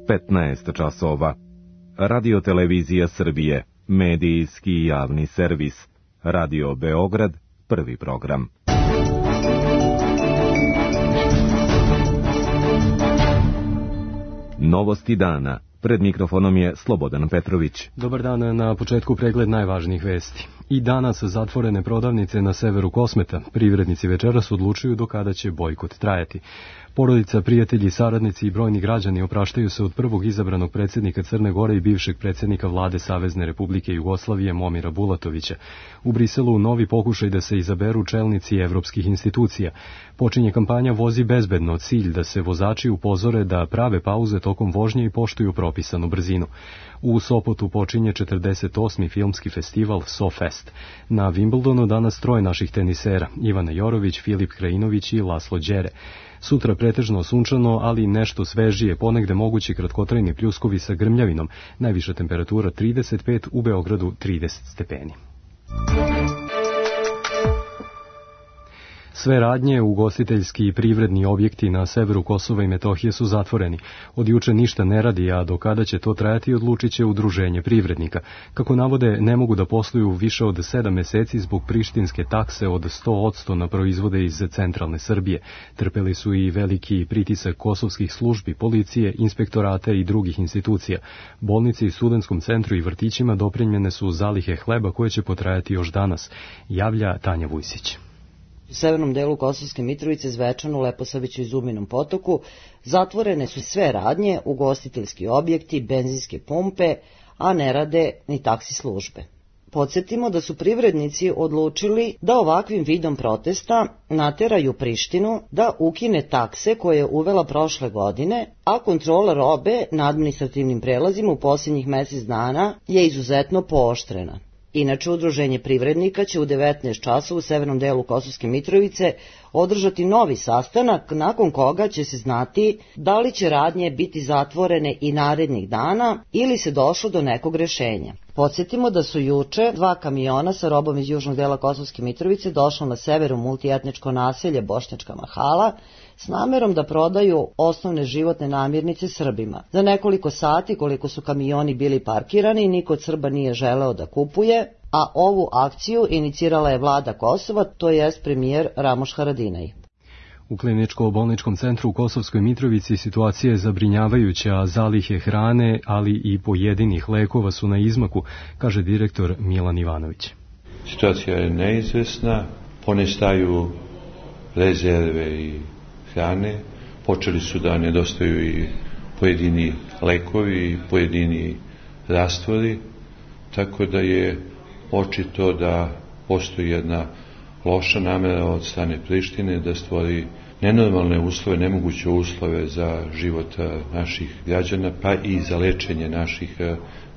15 časova. Radio-televizija Srbije, medijski javni servis. Radio Beograd, prvi program. Novosti dana. Pred mikrofonom je Slobodan Petrović. Dobar dan, na početku pregled najvažnijih vesti. I danas zatvorene prodavnice na severu Kosmeta. Privrednici večeras odlučuju do kada će bojkot trajati. Porodica, prijatelji, saradnici i brojni građani opraštaju se od prvog izabranog predsjednika Crne Gore i bivšeg predsjednika vlade Savezne Republike Jugoslavije Momira Bulatovića. U Briselu novi pokušaj da se izaberu čelnici evropskih institucija. Počinje kampanja Vozi bezbedno, cilj da se vozači upozore da prave pauze tokom vožnje i poštuju propisanu brzinu. U Sopotu počinje 48. filmski festival SoFest. Na Wimbledonu danas troje naših tenisera, Ivana Jorović, Filip Krajinović i Laslo Đere. Sutra pretežno sunčano, ali nešto svežije, ponegde mogući kratkotrajni pljuskovi sa grmljavinom, najviša temperatura 35, u Beogradu 30 stepeni. Sve radnje, ugostiteljski i privredni objekti na severu Kosova i Metohije su zatvoreni. Od juče ništa ne radi, a do kada će to trajati odlučit će udruženje privrednika. Kako navode, ne mogu da posluju više od 7 meseci zbog prištinske takse od 100% na proizvode iz centralne Srbije. Trpeli su i veliki pritisak kosovskih službi, policije, inspektorata i drugih institucija. Bolnici, studentskom centru i vrtićima doprinjene su zalihe hleba koje će potrajati još danas, javlja Tanja Vujsić. U severnom delu Kosovske Mitrovice, Zvečanu, Leposaviću i Zubinom Potoku zatvorene su sve radnje, ugostiteljski objekti, benzinske pumpe, a ne rade ni taksi službe. Podsjetimo da su privrednici odlučili da ovakvim vidom protesta nateraju Prištinu da ukine takse koje je uvela prošle godine, a kontrola robe na administrativnim prelazima u posljednjih mjesec dana je izuzetno pooštrena. Inače, udruženje privrednika će u 19 časova u severnom delu Kosovske Mitrovice održati novi sastanak, nakon koga će se znati da li će radnje biti zatvorene i narednih dana ili se došlo do nekog rešenja. Podsjetimo da su juče 2 kamiona sa robom iz južnog dela Kosovske Mitrovice došlo na severu multietničko naselje Bošnjačka Mahala s namerom da prodaju osnovne životne namirnice Srbima. Za nekoliko sati, koliko su kamioni bili parkirani, niko od Srba nije želeo da kupuje, a ovu akciju inicirala je vlada Kosova, to jest premijer Ramoš Haradinaj. U kliničko-bolničkom centru u Kosovskoj Mitrovici situacija je zabrinjavajuća, a zalihe hrane, ali i pojedinih lekova su na izmaku, kaže direktor Milan Ivanović. Situacija je neizvesna, ponestaju rezerve i hrane, počeli su da nedostaju i pojedini lekovi i pojedini rastvori, tako da je očito da postoji jedna loša namera od strane Prištine da stvori nenormalne uslove, nemoguće uslove za život naših građana, pa i za lečenje naših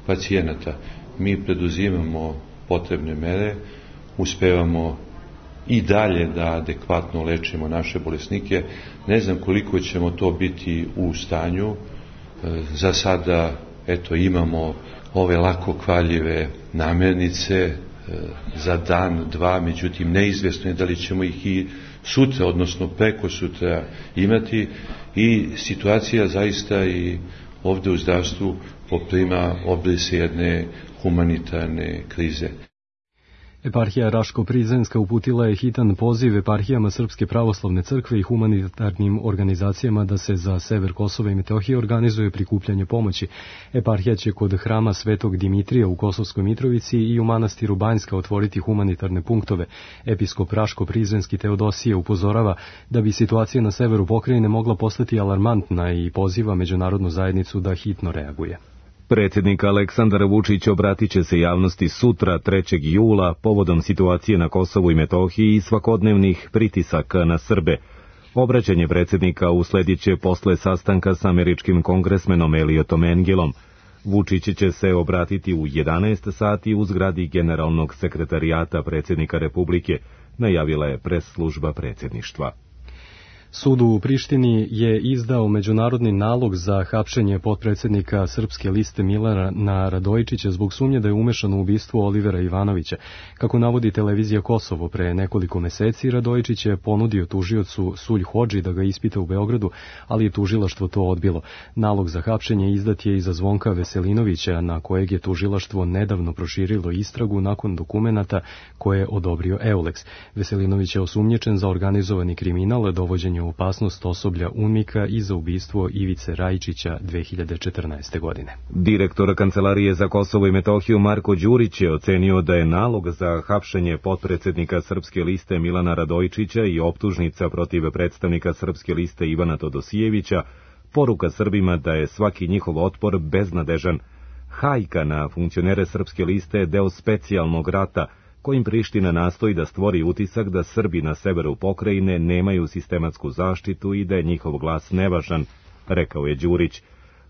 pacijenata. Mi preduzimamo potrebne mere, uspevamo i dalje da adekvatno lečimo naše bolesnike. Ne znam koliko ćemo to biti u stanju. Za sada, imamo ove lako kvaljive namirnice za dan, dva, međutim neizvesno je da li ćemo ih i sutra, odnosno preko sutra imati, i situacija zaista i ovdje u zdravstvu poprima obrise jedne humanitarne krize. Eparhija Raško-Prizrenska uputila je hitan poziv eparhijama Srpske pravoslavne crkve i humanitarnim organizacijama da se za sever Kosova i Metohije organizuje prikupljanje pomoći. Eparhija će kod hrama Svetog Dimitrija u Kosovskoj Mitrovici i u manastiru Banjska otvoriti humanitarne punktove. Episkop Raško-Prizrenski Teodosije upozorava da bi situacija na severu pokrajine mogla postati alarmantna i poziva međunarodnu zajednicu da hitno reaguje. Predsjednik Aleksandar Vučić obratit će se javnosti sutra 3. jula povodom situacije na Kosovu i Metohiji i svakodnevnih pritisaka na Srbe. Obraćanje predsjednika usledit će posle sastanka s američkim kongresmenom Eliotom Engelom. Vučić će se obratiti u 11 sati u zgradi Generalnog sekretarijata predsjednika Republike, najavila je pres služba predsjedništva. Sud u Prištini je izdao međunarodni nalog za hapšenje potpredsjednika Srpske liste Milana Radojičića zbog sumnje da je umešan u ubistvo Olivera Ivanovića. Kako navodi televizija Kosovo, pre nekoliko meseci Radojičić je ponudio tužiocu Sulj Hodži da ga ispita u Beogradu, ali je tužilaštvo to odbilo. Nalog za hapšenje izdat je i za Zvonka Veselinovića, na kojeg je tužilaštvo nedavno proširilo istragu nakon dokumenata koje je odobrio Eulex. Veselinović je osumnjičen za organizovani kriminal, dovođenje u opasnost osoblja UNMIK-a i za ubistvo Ivice Rajičića 2014. godine. Direktor Kancelarije za Kosovo i Metohiju Marko Đurić je ocenio da je nalog za hapšenje potpredsjednika Srpske liste Milana Radojičića i optužnica protiv predstavnika Srpske liste Ivana Todosijevića poruka Srbima da je svaki njihov otpor beznadežan. Hajka na funkcionere Srpske liste je deo specijalnog rata kojim Priština nastoji da stvori utisak da Srbi na severu pokrajine nemaju sistematsku zaštitu i da je njihov glas nevažan, rekao je Đurić.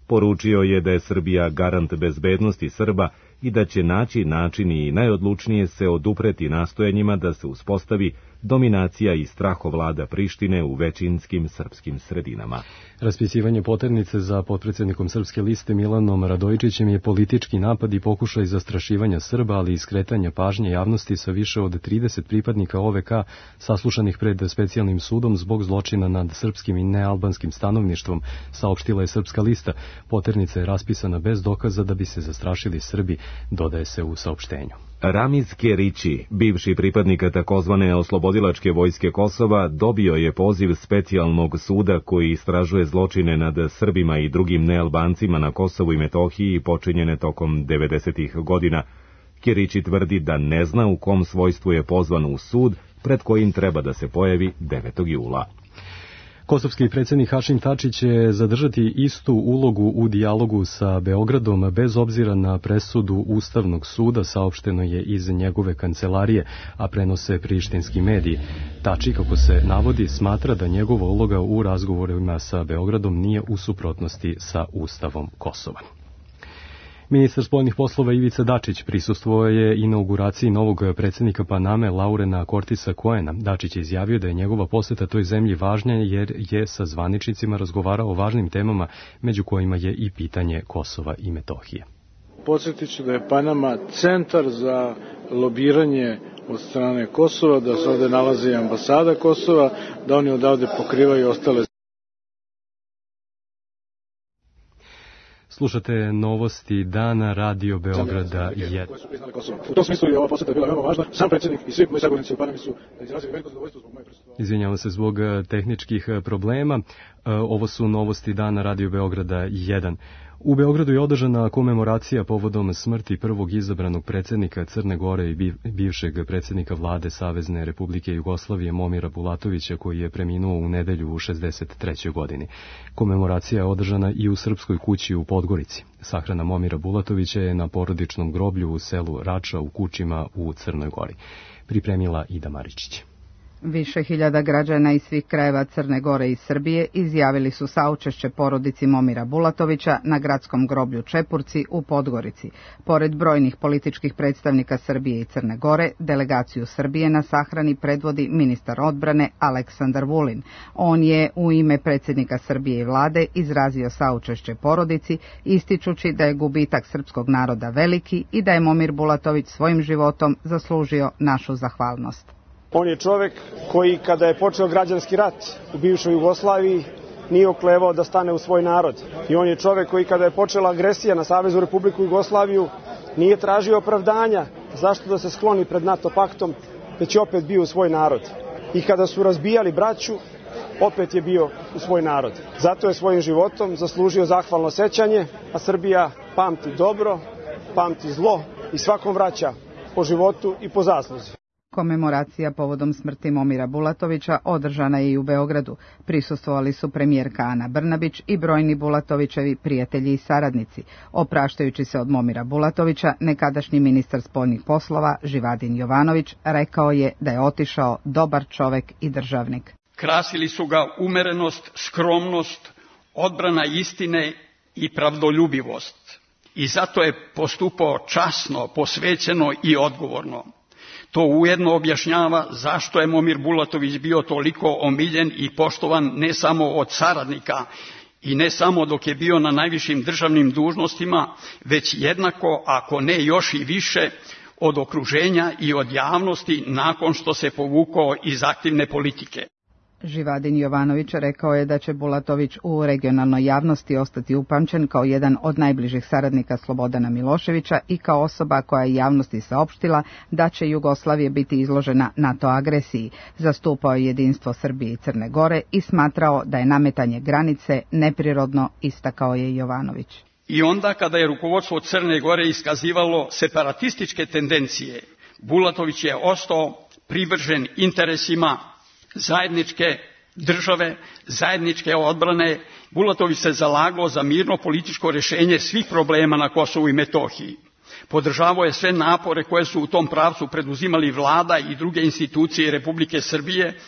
Poručio je da je Srbija garant bezbednosti Srba i da će naći način i najodlučnije se odupreti nastojanjima da se uspostavi dominacija i strahovlada Prištine u većinskim srpskim sredinama. Raspisivanje poternice za potpredsjednikom Srpske liste Milanom Radojičićem je politički napad i pokušaj zastrašivanja Srba, ali i skretanja pažnje javnosti sa više od 30 pripadnika OVK saslušanih pred specijalnim sudom zbog zločina nad srpskim i nealbanskim stanovništvom, saopštila je Srpska lista. Poternica je raspisana bez dokaza da bi se zastrašili Srbi, dodaje se u saopštenju. Ramiz Kerići, bivši pripadnika takozvane oslobodilačke vojske Kosova, dobio je poziv specijalnog suda koji istražuje zločine nad Srbima i drugim nealbancima na Kosovu i Metohiji počinjene tokom 90-ih godina. Kerići tvrdi da ne zna u kom svojstvu je pozvan u sud pred kojim treba da se pojavi 9. jula. Kosovski predsjednik Hašim Tači će zadržati istu ulogu u dijalogu sa Beogradom bez obzira na presudu Ustavnog suda, saopšteno je iz njegove kancelarije, a prenose prištinski mediji. Tači, kako se navodi, smatra da njegova uloga u razgovorima sa Beogradom nije u suprotnosti sa Ustavom Kosova. Ministar spoljnih poslova Ivica Dačić prisustvovao je inauguraciji novog predsjednika Paname Laurena Cortisa Coena. Dačić je izjavio da je njegova poseta toj zemlji važna jer je sa zvaničnicima razgovarao o važnim temama, među kojima je i pitanje Kosova i Metohije. Podsjetit ću da je Panama centar za lobiranje od strane Kosova, da se ovde nalazi ambasada Kosova, da oni odavde pokrivaju ostale. Slušate novosti dana Radio Beograda 1. U tom smislu je ova poseta bila veoma važna. Sam predsjednik i svi moji sagovornici u Panami su izrazili veliko zadovoljstvo zbog moje prisustvovanja. Izvinjavam se zbog tehničkih problema. Ovo su novosti dana Radio Beograda 1. U Beogradu je održana komemoracija povodom smrti prvog izabranog predsjednika Crne Gore i bivšeg predsjednika vlade Savezne Republike Jugoslavije Momira Bulatovića, koji je preminuo u nedelju u 63. godini. Komemoracija je održana i u Srpskoj kući u Podgorici. Sahrana Momira Bulatovića je na porodičnom groblju u selu Rača u Kučima u Crnoj Gori. Pripremila Ida Maričić. Više hiljada građana iz svih krajeva Crne Gore i Srbije izjavili su saučešće porodici Momira Bulatovića na gradskom groblju Čepurci u Podgorici. Pored brojnih političkih predstavnika Srbije i Crne Gore, delegaciju Srbije na sahrani predvodi ministar odbrane Aleksandar Vulin. On je u ime predsjednika Srbije i vlade izrazio saučešće porodici, ističući da je gubitak srpskog naroda veliki i da je Momir Bulatović svojim životom zaslužio našu zahvalnost. On je čovek koji, kada je počeo građanski rat u bivšoj Jugoslaviji, nije oklevao da stane u svoj narod. I on je čovek koji, kada je počela agresija na Saveznu Republiku Jugoslaviju, nije tražio opravdanja zašto da se skloni pred NATO paktom, već je opet bio u svoj narod. I kada su razbijali braću, opet je bio u svoj narod. Zato je svojim životom zaslužio zahvalno sećanje, a Srbija pamti dobro, pamti zlo i svakom vraća po životu i po zasluzi. Komemoracija povodom smrti Momira Bulatovića održana je i u Beogradu. Prisustvovali su premijerka Ana Brnabić i brojni Bulatovićevi prijatelji i saradnici. Opraštajući se od Momira Bulatovića, nekadašnji ministar spoljnih poslova Živadin Jovanović rekao je da je otišao dobar čovek i državnik. Krasili su ga umerenost, skromnost, odbrana istine i pravdoljubivost. I zato je postupao časno, posvećeno i odgovorno. To ujedno objašnjava zašto je Momir Bulatović bio toliko omiljen i poštovan ne samo od saradnika i ne samo dok je bio na najvišim državnim dužnostima, već jednako, ako ne još i više, od okruženja i od javnosti nakon što se povukao iz aktivne politike. Živadin Jovanović rekao je da će Bulatović u regionalnoj javnosti ostati upamćen kao jedan od najbližih saradnika Slobodana Miloševića i kao osoba koja je javnosti saopštila da će Jugoslavija biti izložena NATO agresiji. Zastupao je jedinstvo Srbije i Crne Gore i smatrao da je nametanje granice neprirodno, istakao je Jovanović. I onda kada je rukovodstvo Crne Gore iskazivalo separatističke tendencije, Bulatović je ostao privržen interesima zajedničke države, zajedničke odbrane. Bulatović se zalagao za mirno političko rješenje svih problema na Kosovu i Metohiji. Podržavao je sve napore koje su u tom pravcu preduzimali vlada i druge institucije Republike Srbije,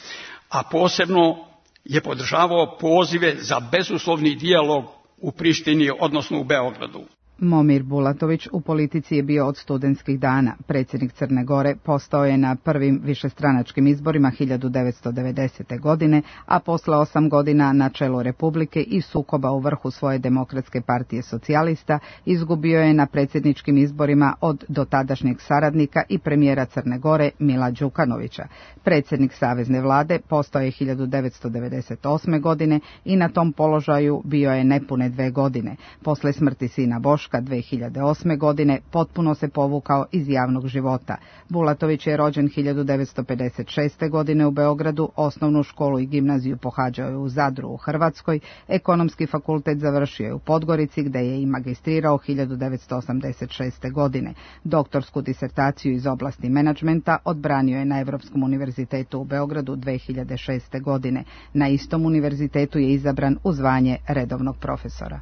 a posebno je podržavao pozive za bezuslovni dijalog u Prištini, odnosno u Beogradu. Momir Bulatović u politici je bio od studentskih dana. Predsjednik Crne Gore postao je na prvim višestranačkim izborima 1990. godine, a posle 8 godina na čelu Republike i sukoba u vrhu svoje Demokratske partije socijalista izgubio je na predsjedničkim izborima od dotadašnjeg saradnika i premijera Crne Gore Mila Đukanovića. Predsjednik savezne vlade postao je 1998. godine i na tom položaju bio je nepune 2 godine. Posle smrti sina Boška 2008. godine potpuno se povukao iz javnog života. Bulatović je rođen 1956. godine u Beogradu, osnovnu školu i gimnaziju pohađao je u Zadru u Hrvatskoj, ekonomski fakultet završio je u Podgorici gde je i magistrirao 1986. godine. Doktorsku disertaciju iz oblasti menadžmenta odbranio je na Evropskom univerzitetu u Beogradu 2006. godine. Na istom univerzitetu je izabran u zvanje redovnog profesora.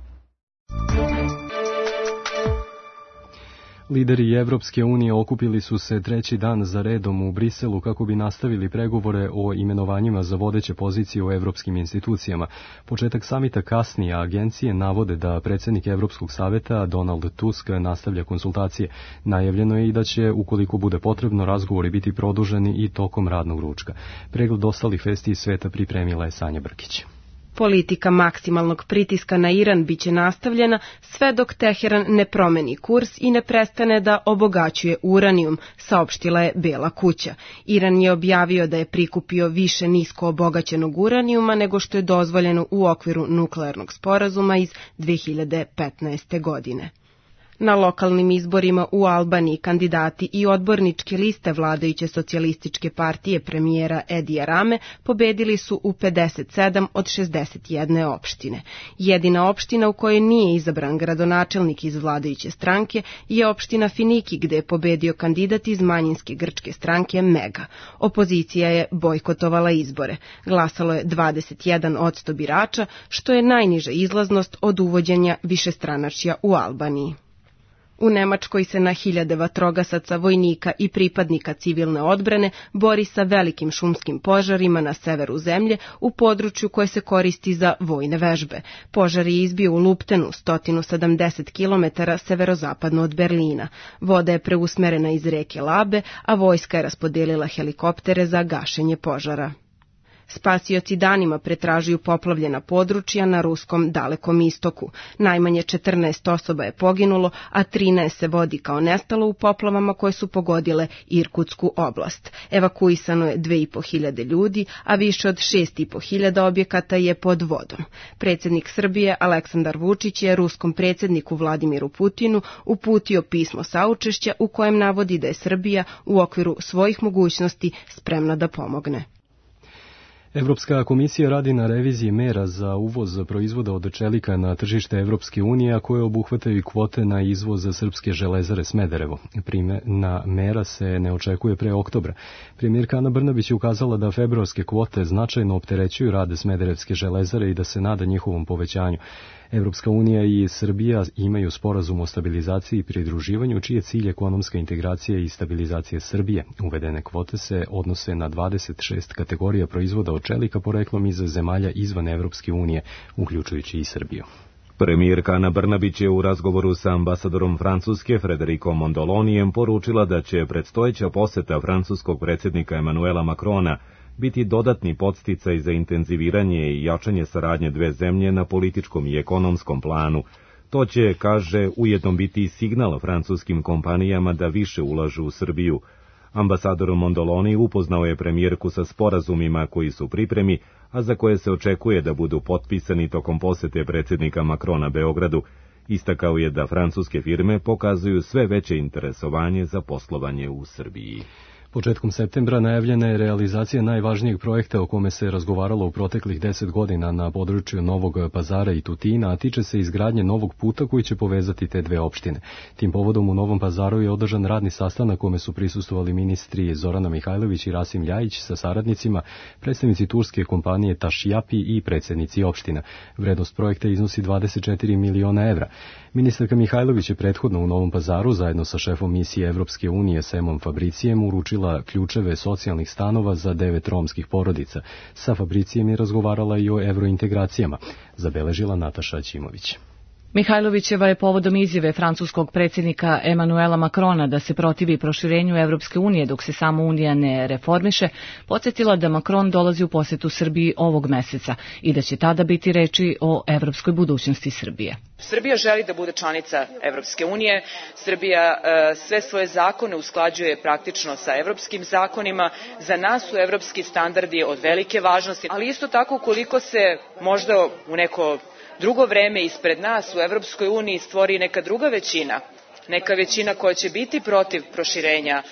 Lideri Evropske unije okupili su se 3. dan za redom u Briselu kako bi nastavili pregovore o imenovanjima za vodeće pozicije u evropskim institucijama. Početak samita kasni, a agencije navode da predsjednik Evropskog saveta Donald Tusk nastavlja konsultacije. Najavljeno je i da će, ukoliko bude potrebno, razgovori biti produženi i tokom radnog ručka. Pregled ostalih vesti iz sveta pripremila je Sanja Brkić. Politika maksimalnog pritiska na Iran biće nastavljena sve dok Teheran ne promeni kurs i ne prestane da obogaćuje uranijum, saopštila je Bela kuća. Iran je objavio da je prikupio više nisko obogaćenog uranijuma nego što je dozvoljeno u okviru nuklearnog sporazuma iz 2015. godine. Na lokalnim izborima u Albaniji kandidati i odborničke liste vladajuće socijalističke partije premijera Edija Rame pobedili su u 57 od 61 opštine. Jedina opština u kojoj nije izabran gradonačelnik iz vladajuće stranke je opština Finiki gde je pobedio kandidat iz manjinske grčke stranke Mega. Opozicija je bojkotovala izbore. Glasalo je 21% birača, što je najniža izlaznost od uvođenja višestranačja u Albaniji. U Nemačkoj se na hiljade vatrogasaca, vojnika i pripadnika civilne odbrane bori sa velikim šumskim požarima na severu zemlje u području koje se koristi za vojne vežbe. Požar je izbio u Luptenu, 170 km severozapadno od Berlina. Voda je preusmerena iz reke Labe, a vojska je raspodelila helikoptere za gašenje požara. Spasioci danima pretražuju poplavljena područja na ruskom Dalekom istoku. Najmanje 14 osoba je poginulo, a 13 se vodi kao nestalo u poplavama koje su pogodile Irkutsku oblast. Evakuisano je 2.500 ljudi, a više od 6.500 objekata je pod vodom. Predsjednik Srbije Aleksandar Vučić je ruskom predsjedniku Vladimiru Putinu uputio pismo saučešća u kojem navodi da je Srbija u okviru svojih mogućnosti spremna da pomogne. Evropska komisija radi na reviziji mera za uvoz proizvoda od čelika na tržište Evropske unije, a koje obuhvataju kvote na izvoz srpske železare Smederevo. Primjena mera se ne očekuje pre oktobra. Premijerka Ana Brnabić je ukazala da februarske kvote značajno opterećuju rad Smederevske železare i da se nada njihovom povećanju. Evropska unija i Srbija imaju sporazum o stabilizaciji i pridruživanju, čiji je cilj ekonomska integracija i stabilizacija Srbije. Uvedene kvote se odnose na 26 kategorija proizvoda od čelika poreklom iz zemalja izvan Evropske unije, uključujući i Srbiju. Premijerka Ana Brnabić je u razgovoru sa ambasadorom Francuske Frederikom Mondolonijem poručila da će predstojeća poseta francuskog predsjednika Emanuela Macrona biti dodatni podsticaj za intenziviranje i jačanje saradnje dve zemlje na političkom i ekonomskom planu. To će, kaže, ujedno biti signal francuskim kompanijama da više ulažu u Srbiju. Ambasador Mondoloni upoznao je premijerku sa sporazumima koji su pripremi, a za koje se očekuje da budu potpisani tokom posete predsjednika Macrona Beogradu. Istakao je da francuske firme pokazuju sve veće interesovanje za poslovanje u Srbiji. Početkom septembra najavljena je realizacija najvažnijeg projekta o kome se razgovaralo u proteklih 10 godina na području Novog Pazara i Tutina, a tiče se izgradnje novog puta koji će povezati te dve opštine. Tim povodom u Novom Pazaru je održan radni sastanak kome su prisustvovali ministri Zorana Mihajlović i Rasim Ljajić sa saradnicima, predstavnici turske kompanije Tašjapi i predsjednici opština. Vrednost projekta iznosi 24 miliona evra. Ministarka Mihajlović je prethodno u Novom Pazaru zajedno sa šefom misije Evropske unije Semom Fabricijem uručila ključeve socijalnih stanova za 9 romskih porodica. Sa Fabricijem je razgovarala i o evrointegracijama, zabeležila Nataša Ćimović. Mihajlovićeva je povodom izjave francuskog predsjednika Emanuela Macrona da se protivi proširenju Evropske unije dok se sama unija ne reformiše, podsjetila da Macron dolazi u posetu Srbiji ovog meseca i da će tada biti reči o evropskoj budućnosti Srbije. Srbija želi da bude članica Evropske unije, Srbija sve svoje zakone usklađuje praktično sa evropskim zakonima, za nas su evropski standardi od velike važnosti, ali isto tako ukoliko se možda u neko drugo vreme ispred nas u Evropskoj uniji stvori neka druga većina, neka većina koja će biti protiv proširenja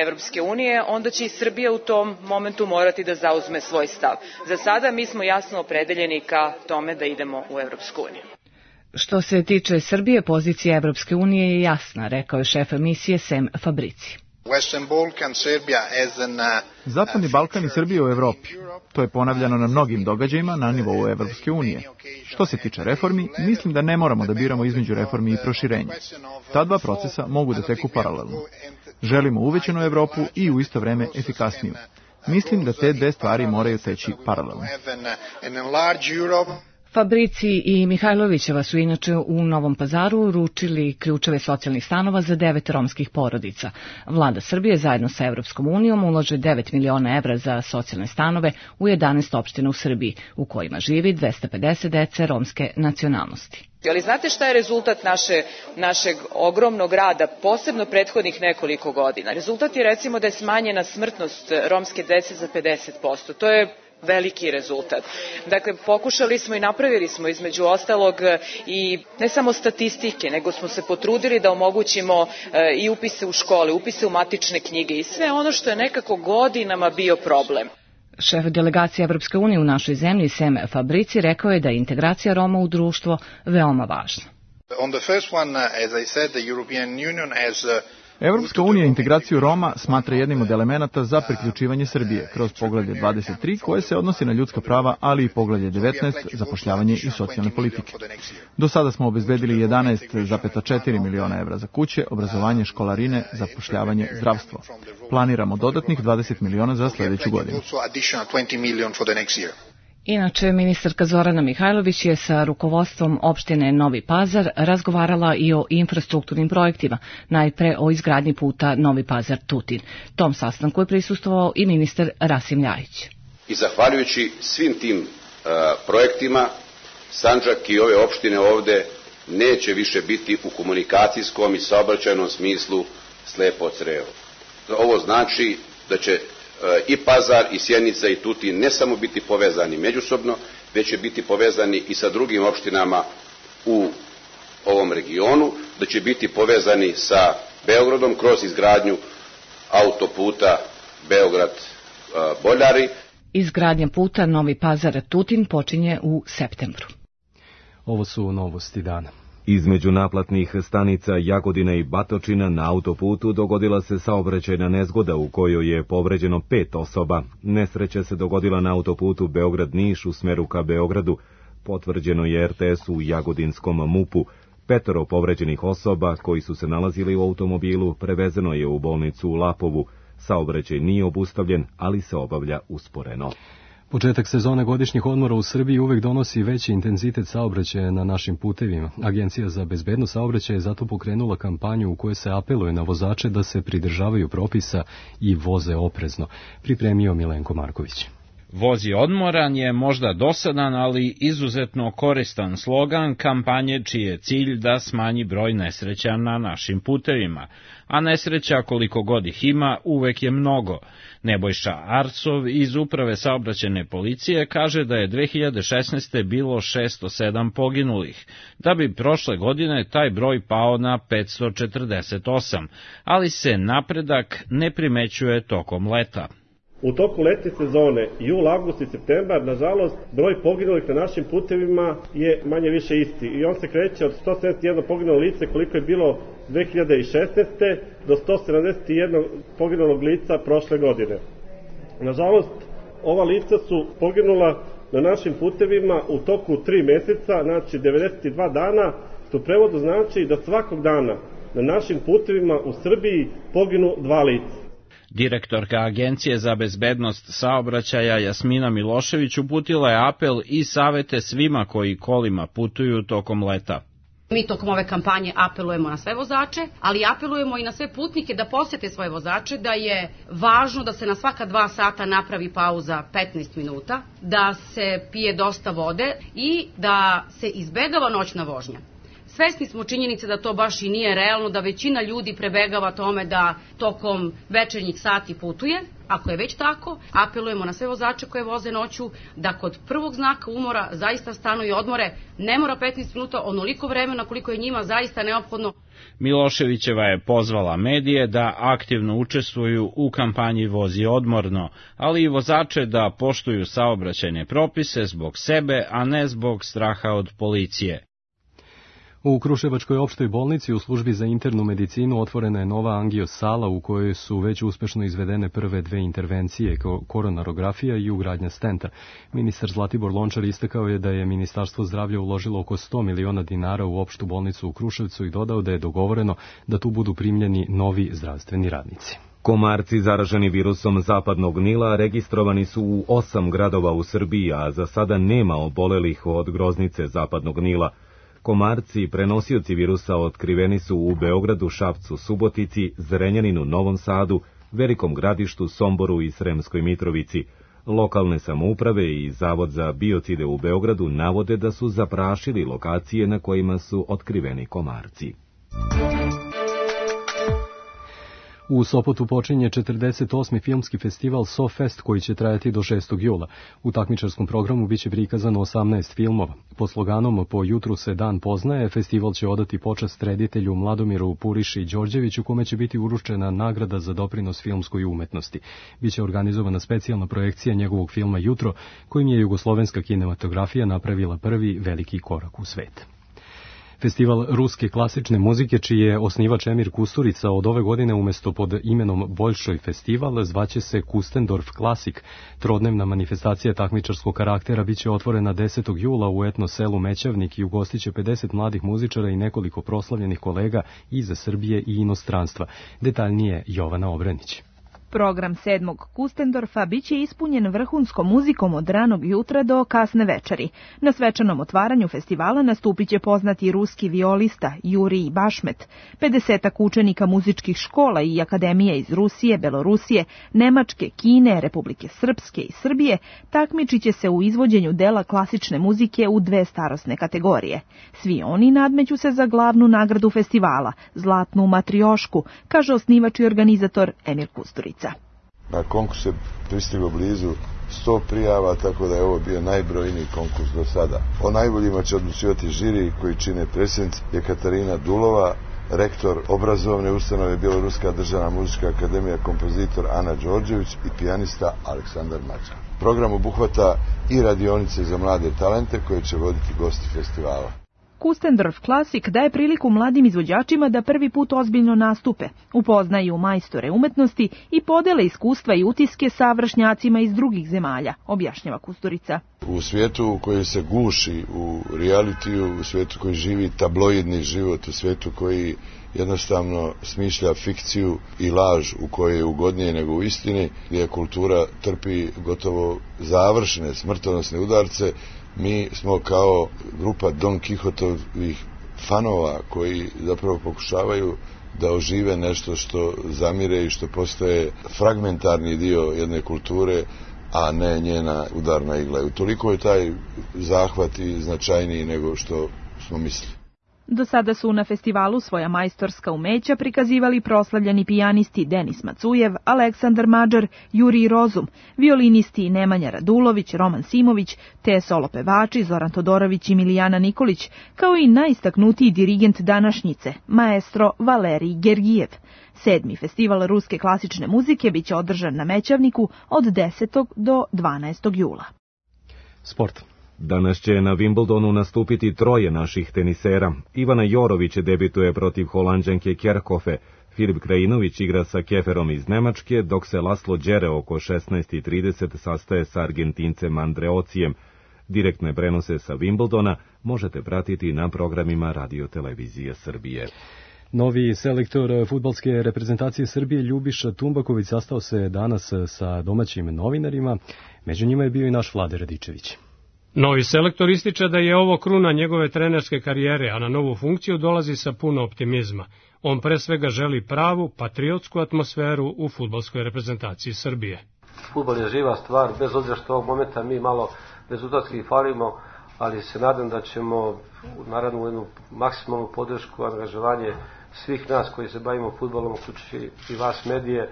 Evropske unije, onda će i Srbija u tom momentu morati da zauzme svoj stav. Za sada mi smo jasno opredeljeni ka tome da idemo u Evropsku uniju. Što se tiče Srbije, pozicija Evropske unije je jasna, rekao je šef misije Sem Fabrici. Zapadni Balkan i Srbija u Evropi. To je ponavljano na mnogim događajima na nivou Evropske unije. Što se tiče reformi, mislim da ne moramo da biramo između reformi i proširenja. Ta dva procesa mogu da teku paralelno. Želimo uvećanu Evropu i u isto vreme efikasniju. Mislim da te dve stvari moraju teći paralelno. Fabrici i Mihajlovićeva su inače u Novom Pazaru uručili ključeve socijalnih stanova za 9 romskih porodica. Vlada Srbije zajedno sa Evropskom unijom ulaže 9 miliona evra za socijalne stanove u 11 opština u Srbiji, u kojima živi 250 dece romske nacionalnosti. Ali znate šta je rezultat našeg ogromnog rada, posebno prethodnih nekoliko godina? Rezultat je recimo da je smanjena smrtnost romske dece za 50%. To je veliki rezultat. Dakle, pokušali smo i napravili smo između ostalog i ne samo statistike, nego smo se potrudili da omogućimo i upise u škole, upise u matične knjige i sve ono što je nekako godinama bio problem. Šef delegacije Evropske unije u našoj zemlji, Sem Fabrici, rekao je da je integracija Roma u društvo veoma važna. Evropska unija integraciju Roma smatra jednim od elemenata za priključivanje Srbije kroz poglavlje 23 koje se odnosi na ljudska prava, ali i poglavlje 19 zapošljavanje i socijalne politike. Do sada smo obezbedili 11,4 miliona evra za kuće, obrazovanje, školarine, zapošljavanje, zdravstvo. Planiramo dodatnih 20 miliona za sljedeću godinu. Inače, ministarka Zorana Mihajlović je sa rukovodstvom opštine Novi Pazar razgovarala i o infrastrukturnim projektima, najpre o izgradnji puta Novi Pazar-Tutin. Tom sastanku je prisustvovao i ministar Rasim Ljajić. I zahvaljujući svim tim projektima, Sandžak i ove opštine ovde neće više biti u komunikacijskom i saobraćajnom smislu slepo crevo. Ovo znači da će i Pazar, i Sjenica, i Tutin ne samo biti povezani međusobno, već će biti povezani i sa drugim opštinama u ovom regionu, da će biti povezani sa Beogradom kroz izgradnju autoputa Beograd-Boljari. Izgradnja puta Novi Pazar-Tutin počinje u septembru. Ovo su novosti dana. Između naplatnih stanica Jagodina i Batočina na autoputu dogodila se saobraćajna nezgoda u kojoj je povređeno 5 osoba. Nesreća se dogodila na autoputu Beograd-Niš u smeru ka Beogradu. Potvrđeno je RTS-u u Jagodinskom MUP-u. 5 povređenih osoba koji su se nalazili u automobilu prevezeno je u bolnicu u Lapovu. Saobraćaj nije obustavljen, ali se obavlja usporeno. Početak sezone godišnjih odmora u Srbiji uvek donosi veći intenzitet saobraćaja na našim putevima. Agencija za bezbednost saobraćaja je zato pokrenula kampanju u kojoj se apeluje na vozače da se pridržavaju propisa i voze oprezno. Pripremio Milenko Marković. Vozi odmoran je možda dosadan, ali izuzetno koristan slogan kampanje čiji je cilj da smanji broj nesreća na našim putevima. A nesreća, koliko god ih ima, uvek je mnogo. Nebojša Arcov iz Uprave saobraćajne policije kaže da je 2016. bilo 607 poginulih, da bi prošle godine taj broj pao na 548, ali se napredak ne primećuje tokom leta. U toku letnje sezone, jul, avgust i septembar, nažalost, broj poginulih na našim putevima je manje više isti i on se kreće od 171 poginulo lice koliko je bilo 2016. do 171 poginulog lica prošle godine. Nažalost, ova lica su poginula na našim putevima u toku 3 meseca, znači 92 dana, što u prevodu znači da svakog dana na našim putevima u Srbiji poginu 2 lica. Direktorka Agencije za bezbednost saobraćaja Jasmina Milošević uputila je apel i savete svima koji kolima putuju tokom leta. Mi tokom ove kampanje apelujemo na sve vozače, ali apelujemo i na sve putnike da posjete svoje vozače, da je važno da se na svaka 2 sata napravi pauza 15 minuta, da se pije dosta vode i da se izbegava noćna vožnja. Svesni smo činjenice da to baš i nije realno, da većina ljudi prebegava tome da tokom večernjih sati putuje. Ako je već tako, apelujemo na sve vozače koje voze noću da kod prvog znaka umora zaista stanu i odmore. Ne mora 15 minuta, onoliko vremena koliko je njima zaista neophodno. Miloševićeva je pozvala medije da aktivno učestvuju u kampanji Vozi odmorno, ali i vozače da poštuju saobraćajne propise zbog sebe, a ne zbog straha od policije. U Kruševačkoj opštoj bolnici u službi za internu medicinu otvorena je nova angio-sala u kojoj su već uspešno izvedene prve 2 intervencije, koronarografija i ugradnja stenta. Ministar Zlatibor Lončar istakao je da je Ministarstvo zdravlja uložilo oko 100 miliona dinara u opštu bolnicu u Kruševcu i dodao da je dogovoreno da tu budu primljeni novi zdravstveni radnici. Komarci zaraženi virusom zapadnog Nila registrovani su u 8 gradova u Srbiji, a za sada nema obolelih od groznice zapadnog Nila. Komarci, prenosioci virusa, otkriveni su u Beogradu, Šapcu, Subotici, Zrenjaninu, Novom Sadu, Velikom Gradištu, Somboru i Sremskoj Mitrovici. Lokalne samouprave i Zavod za biocide u Beogradu navode da su zaprašili lokacije na kojima su otkriveni komarci. U Sopotu počinje 48. filmski festival SoFest koji će trajati do 6. jula. U takmičarskom programu biće prikazano 18 filmova. Pod sloganom Po jutru se dan poznaje, festival će odati počast reditelju Mladomiru Puriši Đorđeviću, kome će biti uručena nagrada za doprinos filmskoj umetnosti. Biće organizovana specijalna projekcija njegovog filma Jutro, kojim je jugoslovenska kinematografija napravila prvi veliki korak u svet. Festival ruske klasične muzike, čiji je osnivač Emir Kusturica, od ove godine umesto pod imenom Boljšoj festival zvaće se Kustendorf Klasik. Trodnevna manifestacija takmičarskog karaktera biće otvorena 10. jula u etno selu Mećavnik i ugostiće 50 mladih muzičara i nekoliko proslavljenih kolega iz Srbije i inostranstva. Detaljnije Jovana Obranić. Program 7. Kustendorfa biće ispunjen vrhunskom muzikom od ranog jutra do kasne večeri. Na svečanom otvaranju festivala nastupit će poznati ruski violista Jurij Bašmet. 50 učenika muzičkih škola i akademije iz Rusije, Belorusije, Nemačke, Kine, Republike Srpske i Srbije takmičit će se u izvođenju dela klasične muzike u 2 starosne kategorije. Svi oni nadmeću se za glavnu nagradu festivala, Zlatnu matriošku, kaže osnivač i organizator Emir Kusturica. Na konkurs je pristiglo blizu 100 prijava, tako da je ovo bio najbrojniji konkurs do sada. O najboljima će odlučivati žiri koji čine predsjednica Katarina Dulova, rektor obrazovne ustanove Bjeloruska državna muzička akademija, kompozitor Ana Đorđević i pijanista Aleksandar Mađar. Program obuhvata i radionice za mlade talente koje će voditi gosti festivala. Kustendorf Classic daje priliku mladim izvođačima da prvi put ozbiljno nastupe, upoznaju majstore umetnosti i podele iskustva i utiske sa vršnjacima iz drugih zemalja, objašnjava Kusturica. U svijetu koji se guši u realitiju, u svijetu koji živi tabloidni život, u svijetu koji jednostavno smišlja fikciju i laž u kojoj je ugodnije nego u istini, gdje kultura trpi gotovo završene smrtonosne udarce, mi smo kao grupa Don Kihotovih fanova koji zapravo pokušavaju da ožive nešto što zamire i što postaje fragmentarni dio jedne kulture, a ne njena udarna igla. Utoliko je taj zahvat i značajniji nego što smo mislili. Do sada su na festivalu svoja majstorska umeća prikazivali proslavljeni pijanisti Denis Macujev, Aleksandar Mađar, Jurij Rozum, violinisti Nemanja Radulović, Roman Simović, te solo pevači Zoran Todorović i Milijana Nikolić, kao i najistaknutiji dirigent današnjice, maestro Valerij Gergijev. 7. festival ruske klasične muzike biće održan na Mećavniku od 10. do 12. jula. Sport. Danas će na Wimbledonu nastupiti troje naših tenisera. Ivana Jorović debituje protiv Holanđanke Kerkhofe, Filip Krajinović igra sa Keferom iz Nemačke, dok se Laslo Đere oko 16:30 sastaje sa Argentincem Andreocijem. Direktne prenose sa Wimbledona možete pratiti na programima Radio Televizije Srbije. Novi selektor fudbalske reprezentacije Srbije Ljubiša Tumbaković sastao se danas sa domaćim novinarima. Među njima je bio i naš Vlade Radičević. Novi selektor ističe da je ovo kruna njegove trenerske karijere, a na novu funkciju dolazi sa puno optimizma. On pre svega želi pravu, patriotsku atmosferu u fudbalskoj reprezentaciji Srbije. Fudbal je živa stvar, bez obzira što ovog momenta mi malo rezultatski falimo, ali se nadam da ćemo naravno u jednu maksimalnu podršku, angažovanje svih nas koji se bavimo fudbalom, uključujući i vas medije,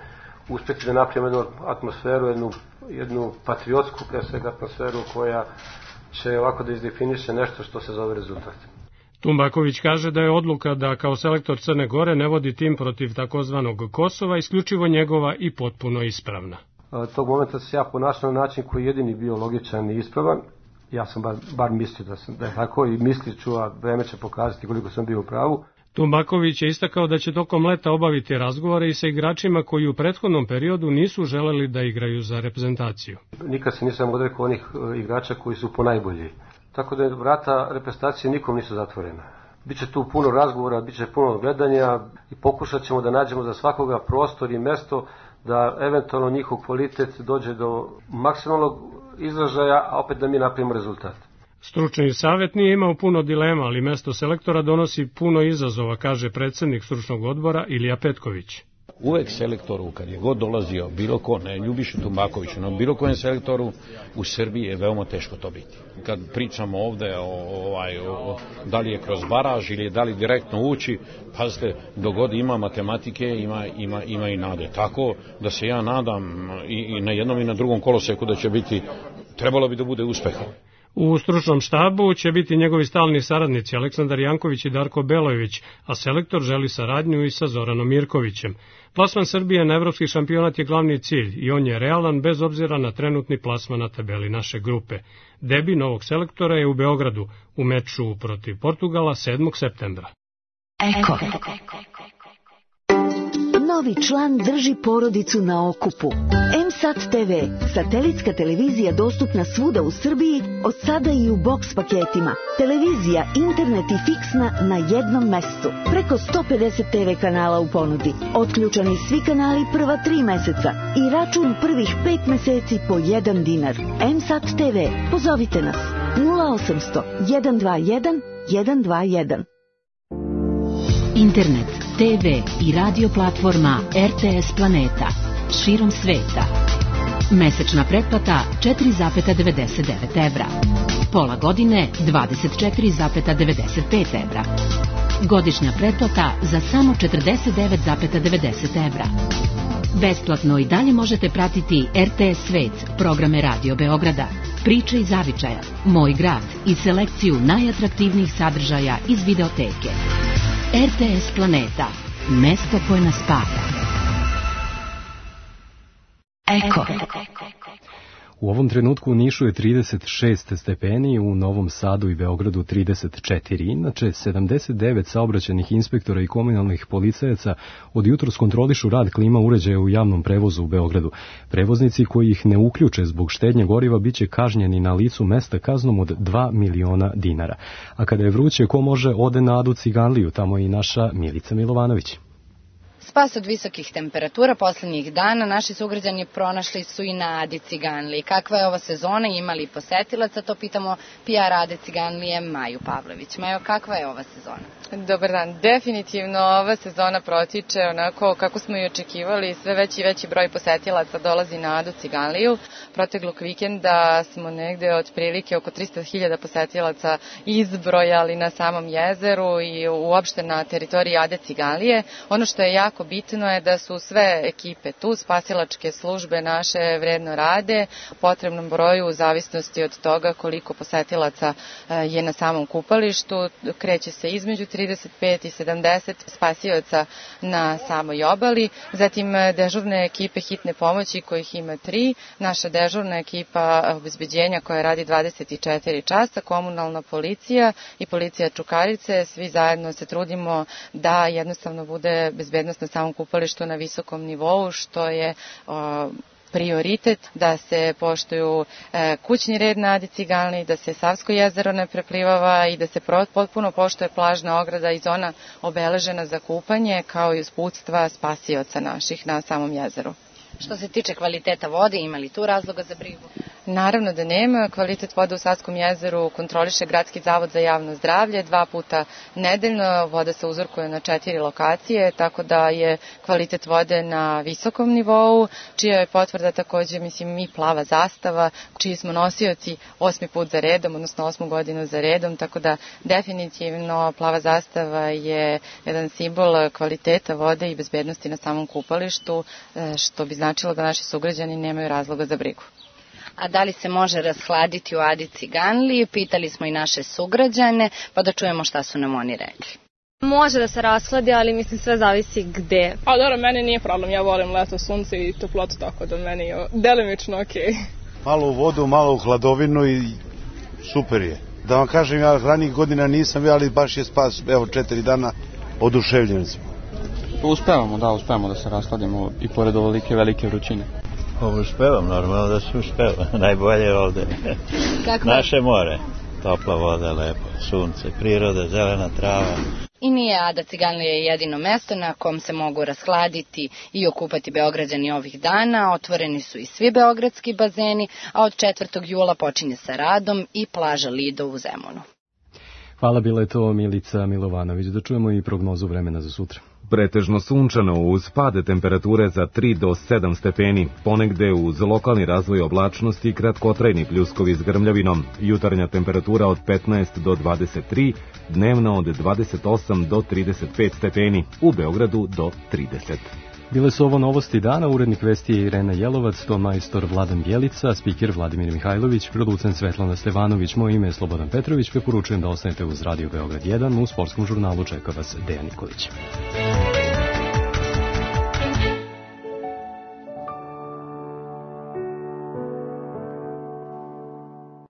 uspjeti da napravimo jednu atmosferu, jednu patriotsku pre svega atmosferu koja će ovako da izdefiniše nešto što se zove rezultat. Tumbaković kaže da je odluka da kao selektor Crne Gore ne vodi tim protiv takozvanog Kosova isključivo njegova i potpuno ispravna. Tog momenta se ja ponašao na način koji je jedini bio logičan i ispravan. Ja sam bar mislio da je tako i mislit ću, a vreme će pokazati koliko sam bio u pravu. Tumbaković je istakao da će tokom leta obaviti razgovore i sa igračima koji u prethodnom periodu nisu želeli da igraju za reprezentaciju. Nikad se nisam odrekao onih igrača koji su ponajbolji. Tako da vrata reprezentacije nikom nisu zatvorena. Biće tu puno razgovora, biće puno gledanja i pokušat ćemo da nađemo za svakoga prostor i mesto da eventualno njihov kvalitet dođe do maksimalnog izražaja, a opet da mi napravimo rezultat. Stručni savjet nije imao puno dilema, ali mesto selektora donosi puno izazova, kaže predsjednik stručnog odbora Ilija Petković. Uvek selektoru, kad je god dolazio bilo ko, ne Ljubišu Tumbakoviću, no bilo kojem selektoru u Srbiji je veoma teško to biti. Kad pričamo ovde o da li je kroz baraž ili da li direktno ući, pazite, dogod ima matematike, ima i nade. Tako da se ja nadam i na jednom i na drugom koloseku da će biti, trebalo bi da bude uspeha. U stručnom štabu će biti njegovi stalni saradnici Aleksandar Janković i Darko Belojević, a selektor želi saradnju i sa Zoranom Mirkovićem. Plasman Srbije na evropski šampionat je glavni cilj i on je realan bez obzira na trenutni plasman na tabeli naše grupe. Debi novog selektora je u Beogradu u meču protiv Portugala 7. septembra. Eko. Novi član drži porodicu na okupu. M-Sat TV, satelitska televizija dostupna svuda u Srbiji, od sada i u boks paketima. Televizija, internet i fiksna na jednom mestu. Preko 150 TV kanala u ponudi. Otključani svi kanali prva 3 meseca i račun prvih 5 meseci po 1 dinar. M-Sat TV, pozovite nas 0800 121 121. Internet, TV i radio platforma RTS Planeta širom sveta. Mesečna pretplata 4,99 evra. Pola godine 24,95 evra. Godišnja pretplata za samo 49,90 evra. Besplatno i dalje možete pratiti RTS Svet, programe Radio Beograda, Priče iz Zavičaja, Moj grad i selekciju najatraktivnijih sadržaja iz videoteke. RTS Planeta, mesto koje nas spaja. Eko. U ovom trenutku u Nišu je 36 stepeni, u Novom Sadu i Beogradu 34. Inače, 79 saobraćajnih inspektora i komunalnih policajaca od jutros kontrolišu rad klima uređaja u javnom prevozu u Beogradu. Prevoznici koji ih ne uključe zbog štednje goriva biće kažnjeni na licu mesta kaznom od 2 miliona dinara. A kada je vruće, ko može ode na Adu Ciganliju, tamo je i naša Milica Milovanović. Spas od visokih temperatura poslednjih dana naši sugrađani pronašli su i na Adi Ciganliji. Kakva je ova sezona, imali posetilaca, to pitamo PR Ade Ciganlije Maju Pavlović. Majo, kakva je ova sezona? Dobar dan, definitivno ova sezona protiče onako kako smo i očekivali, sve veći i veći broj posetilaca dolazi na Adu Ciganliju. Proteklog vikenda smo negde otprilike oko 300.000 posetilaca izbrojali na samom jezeru i uopšte na teritoriji Ade Ciganlije. Ono što je jako bitno je da su sve ekipe tu, spasilačke službe naše vredno rade, u potrebnom broju u zavisnosti od toga koliko posetilaca je na samom kupalištu, kreće se između 35 i 70 spasioca na samoj obali, zatim dežurne ekipe hitne pomoći kojih ima 3, naša dežurna ekipa obezbeđenja koja radi 24 časa, komunalna policija i policija Čukarice, svi zajedno se trudimo da jednostavno bude bezbednost na samom kupalištu na visokom nivou, što je prioritet, da se poštuju kućni red na Adi Ciganliji, da se Savsko jezero ne preplivava i da se potpuno poštuje plažna ograda i zona obeležena za kupanje, kao i usputstva spasioca naših na samom jezeru. Što se tiče kvaliteta vode, ima li tu razloga za brigu? Naravno da nema. Kvalitet vode u Savskom jezeru kontroliše Gradski zavod za javno zdravlje 2 puta nedeljno. Voda se uzorkuje na 4 lokacije, tako da je kvalitet vode na visokom nivou, čija je potvrda takođe, i Plava zastava, čiji smo nosioci 8. put za redom, odnosno 8. godinu za redom, tako da definitivno Plava zastava je jedan simbol kvaliteta vode i bezbednosti na samom kupalištu, što bi značilo da naši sugrađani nemaju razloga za brigu. A da li se može rashladiti u Adi Ciganliji? Pitali smo i naše sugrađane, pa da čujemo šta su nam oni rekli. Može da se rashladi, ali sve zavisi gde. A dobro, meni nije problem, ja volim leto, sunce i toplotu, tako da meni je delimično okej. Malo u vodu, malo u hladovinu i super je. Da vam kažem, ja ranijih godina nisam bio, ali baš je spas, evo 4 dana, oduševljeni smo. Uspevamo da se rashladimo i pored ovolike velike vrućine. Uspevam, normalno da se uspeva. Najbolje je ovde. Naše more, topla voda, lepo, sunce, priroda, zelena trava. I nije Ada Ciganlija jedino mesto na kom se mogu rashladiti i okupati Beograđani ovih dana. Otvoreni su i svi beogradski bazeni, a od 4. jula počinje sa radom i plaža Lido u Zemunu. Hvala, bila je to Milica Milovanović. Da čujemo i prognozu vremena za sutra. Pretežno sunčano uz pade temperature za 3 do 7 stepeni, ponegde uz lokalni razvoj oblačnosti i kratkotrajni pljuskovi s grmljavinom, jutarnja temperatura od 15 do 23, dnevna od 28 do 35 stepeni, u Beogradu do 30. Bile su ovo novosti dana, urednik vesti je Irena Jelovac, ton majstor Vladan Bjelica, spiker Vladimir Mihajlović, producent Svetlana Stevanović, moje ime je Slobodan Petrović, preporučujem da ostanete uz Radio Beograd 1, u sportskom žurnalu čeka vas Dejan Nikolić.